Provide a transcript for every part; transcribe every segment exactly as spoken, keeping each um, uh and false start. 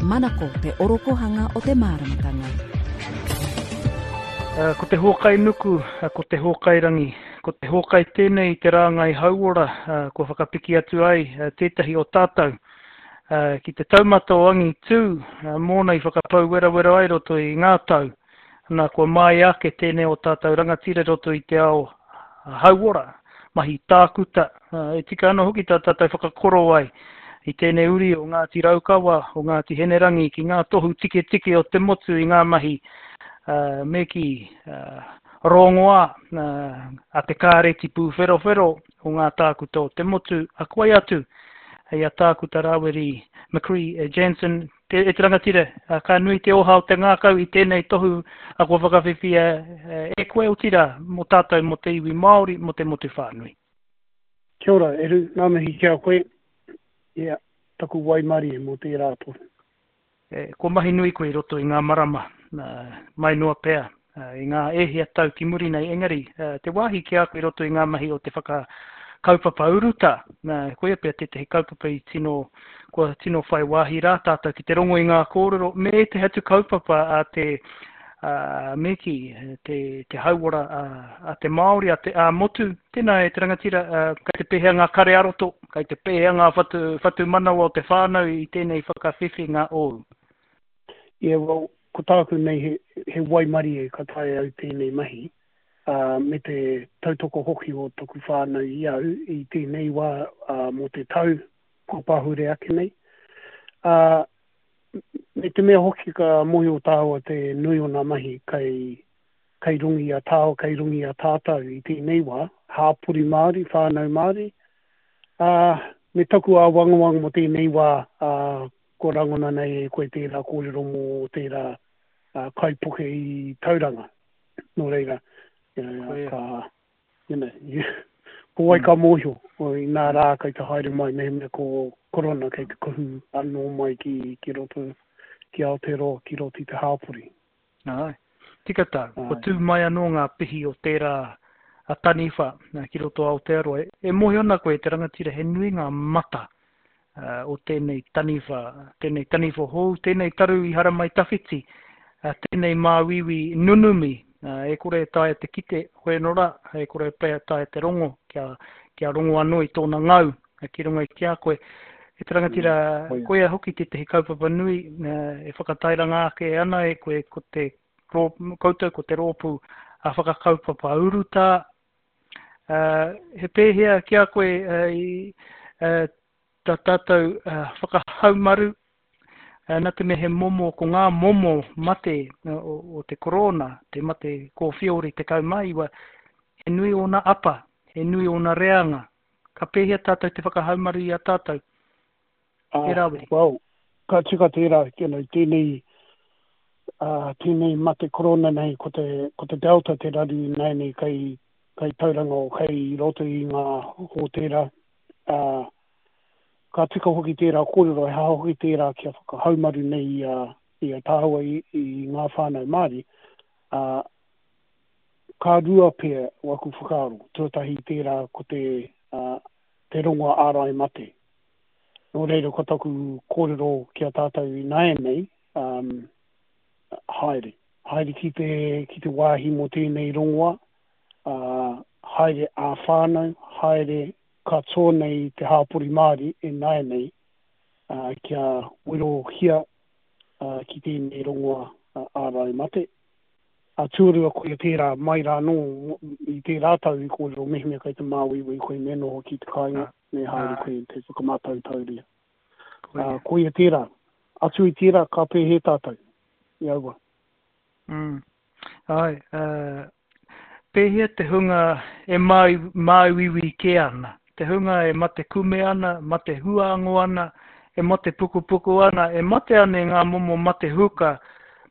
Manako te orokohanga o te māramatanga. Uh, ko te hōkai nuku, uh, ko te hōkai rangi, ko te hōkai tēnei te rāngai hauora, uh, kua whakapiki atu ai uh, tētahi o tātou uh, ki te taumata o angitū, uh, mōna i whakapau werawera ai roto i ngā tau. Nā, kua māia ake tēnei o tātou rangatira roto i te ao hauora, mahi tākuta, uh, e tika ana hoki tā tātou whakakoro ai i tēnei uri o Ngāti Raukawa, o Ngāti Hinerangi ki ngā tohu tiketike o te motu i ngā mahi uh, me ki uh, rongoā uh, a te kāreti pūwherowhero o ngā tākuta o te motu, a koe atu hei a tākuta Rawiri McCree Jansen, te, e te rangatira, uh, ka nui te oha o te ngākau i tēnei tohu a kua whakawhiwhia e koe otirā mō tātou mō te iwi Māori, mō te motu whānui. Kia ora, Eru, ngā mihi ki a koe. Yeah, taku waimarie mō tērā tohu. E, kua mahi nui koe i roto i ngā marama, uh, mai noa pea, uh, i ngā ehia tau ki muri nei, engari, uh, te wāhi ki a koe i roto i ngā mahi o te whakakaupapa uruta, uh, koia pea tētahi kaupapa i tino, kua tino whai wāhi rā tātou ki te rongo i ngā kōrero, me te atu kaupapa a te, uh, me ki, te, te hauora a, a te Māori, a te a motu, tēnā e te rangatira, uh, kei te pēhea ngā kare aroto, kei te pēhea ngā whatu, whatu manawa o te whānau i tēnei whakawhiwhinga ōu. Yeah, well, ko tāku nei he, he waimarie ka taea au tēnei mahi, uh, me te tautoko hoki o taku whānau i au i tēnei wā uh, mō te tau kua pahure ake nei. Uh, me te mea hoki ka mōhio tāua te nui o ngā mahi kei, kei runga i a tāua, kei runga i a tātou i tēnei wā, hāpori Māori, whānau Māori. Uh, me taku āwangawanga mō tēnei wā, uh, ko rangona nei e koe tērā kōrero mō tērā uh, kaipuke i Tauranga. Nō reira, you know, ka, you know, ko wai ka mōhio, o i nā rā kei te haere mai, mehemea ko korona kei te kuhu anō mai ki, ki roto, ki Aotearoa, ki roto i te hāpori. Ai, tika tā, ko tū mai anō ngā pihi o tērā a taniwha ki roto Aotearoa. E mōhio ana koe te rangatira he nui ngā mata uh, o tēnei taniwha, tēnei taniwha hou, tēnei taru i haramai tawhiti, uh, tēnei māuiui nunumi, uh, e kore e taea te kite, hoi anō rā, e kore e taea te rongo, kia, kia rongo anō i tōna ngau, uh, ki runga i ki a koe. E te rangatira, mm, koia hoki tētahi kaupapa nui, uh, e whakatairanga ake ana e koe ko te rō, koutou, ko te rōpū a whakakaupapa urutā. Uh, he pēhea ki a koe uh, i, uh, tā tātou uh, whakahaumaru, uh, nā te mea he momo, ko ngā momo mate uh, o, o te korona, te mate kōwhiori tekau mā iwa, he nui ōna apa, he nui ōna reanga. Ka pēhea tātou te whakahaumaru i a tātou? Ah, E Rawiri. Well, ka tika tērā, you know, tēnei, uh, tēnei mate korona nei, ko te, ko te Delta te raru nei nei kei, kei Tauranga o kei roto i ngā hōtēra. Uh, ka tika hoki tērā kōrero, e hā hoki tērā kia whakahaumaru nei i a, i a tāua i, i ngā whānau Māori. Uh, ka rua pea waku whakaaro, tuatahi tērā ko te, uh, te rongoa ārai mate. Nō reira ko taku kōrero ki a tātou i nāianei, um, haere. Haere ki te, ki te wāhi mō tēnei rongoa, uh, haere ā whānau, haere katoa nei te hāpori Māori e nāianei, uh, kia werohia uh, ki tēnei rongoa uh, ārai mate. A tuarua koia tērā mai rā nō i tērā tau i kōrero mehemea kei te māuiui koe me noho ki te kāinga, me haere koe te whakamātautauria. Koia. Uh, koia tērā. Atu i tērā, ka pēhē tātou. I aua. Mm. Ai, uh, pēhea te hunga e māu, māuiui kē ana, te hunga e mate kume ana, mate huango ana, e mate pukupuku ana, e mate ana i ngā momo mate huka,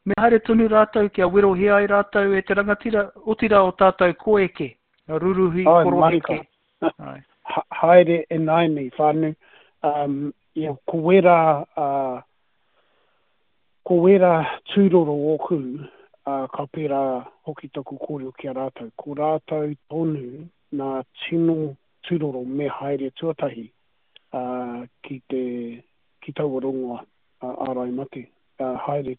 me haere tonu rātou kia werohia ai rātou e te rangatira, otirā o tātou koeke, ruruhi, Ai, koroheke. marika. Ai. Ha, haere e nāianei whānau. Um, ia, ko wērā, uh, ko wērā tūroro ōku, uh, ka pērā hoki taku kōrero ki a rātou. Ko rātou tonu nā tino tūroro me haere tuatahi, uh, ki te, ki taua rongoa. ārai mate. Uh, haere,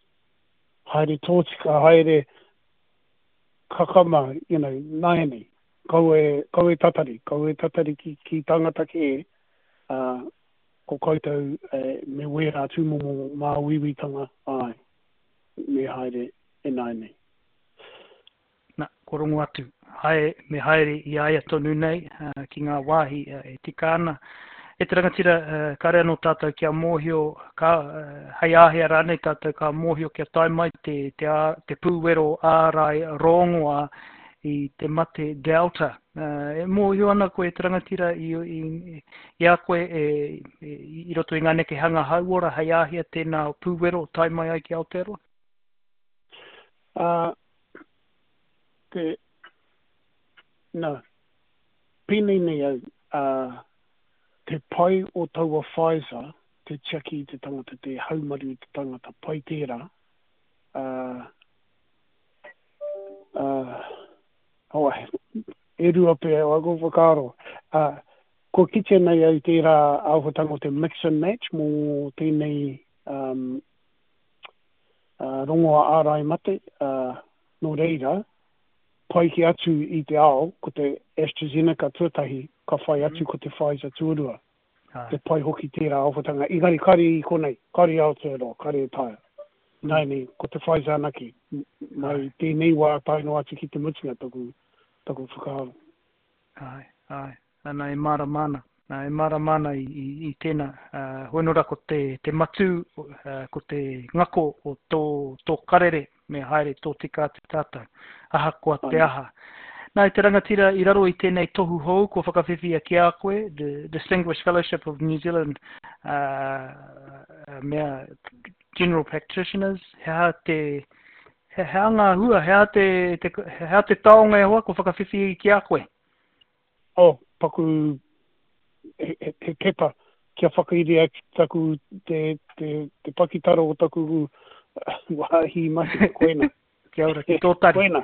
haere tōtika, haere kakama, you know, nāianei. Kaua e, kaua e tatari, kaua e tatari ki, ki tangata kē, uh, ko koutou e, me wērā tūmomo māuiuitanga, āe, me haere e nāianei. Na, ko rongo atu, hae, me haere i a ia tonu nei uh, ki ngā wāhi uh, e tika ana. E te rangatira, uh, kāre anō tātou kia mōhio, ka, uh, hei āhea rānei tātou ka mōhio kia tae mai te, te, ā, te pūwero ārai rongoā i te mate Delta. Uh, e mōhio ana koe e te rangatira i, i, i a koe e, e, i roto i ngā nekehanga hauora hei āhea tēnā pūwero tae mai ai ki Aotearoa? Uh, te, nā, pēnei nei au, uh, te pai o taua Pfizer, te tiaki i te tangata, te haumaru i te tangata, pai tērā, uh, uh, oh, e rua pea aku whakaaro. Uh, kua kitea nei au tērā āhuatanga o te mix and match mō tēnei um, uh, rongoa ārai mate, uh, nō reira, pai kē atu i te ao, ko te AstraZeneca tuatahi, ka whai atu ko te Pfizer tuarua. Te pai hoki tērā āhuatanga. Engari kāre i konei, kāre i Aotearoa, kāre e taea. Nāianei, ko te Pfizer anake, mai tēnei wā tae noa atu ki te mutunga taku, taku whakaaro. Āe, āe. Ana e mārama ana. Nā, e mārama ana i, i, i tēnā. Uh, hoi nō rā ko te, te matū, uh, ko te ngako o tō, tō karere me haere tōtika atu tātou, ahakoa te aha. Nā, e te rangatira i raro i tēnei tohu hou kua whakawhiwhia ki a koe, The Distinguished Fellowship of New Zealand uh, mea General Practitioners, he aha te, he aha ngā hua, he aha te, te, he aha te taonga e hoa kua whakawhiwhi ki a koe? Oh, paku he, he, he pepa kia whakairia ki taku te, te, te pakitara o taku wāhi mahi, koina. Kia ora, ki tō tari. Koina.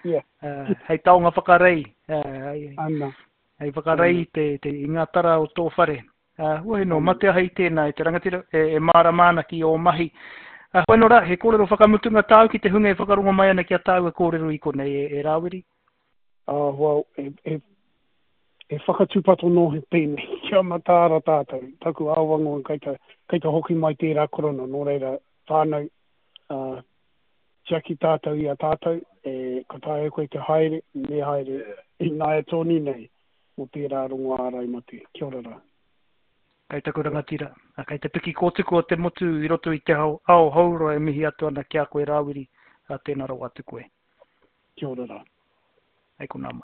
Yeah. Uh, hei taonga whakarei. Uh, hei, Ana. Hei whakarei te, te, i ngā tara o tō whare. Uh, hoi nō, mate aha i tēnā e te rangatira, e, e mārama ana ki ō mahi. Uh, hoi nō rā, he kōrero whakamutunga tāu ki te hunga e whakarongo mai ana ki a tāua kōrero i konei e, e Rāwiri? Uh, well, e, e, e whakatūpato nō he pēnei, kia mataara tātou, taku āwango kei te, kei te hoki mai tērā korona, nō reira whānau, uh, tiaki tātou i a tātou, e, ka taea koe te haere, me haere, ināia tonu nei, mō tērā rongo ārai mate. Kia ora rā. Kei taku rangatira, kei te piki kōtuku o te motu i roto i te ao, ao houroa e mihi atu ana ki a koe Rāwiri, a tēnā rawa atu koe. Kia ora rā. Hei konā mai.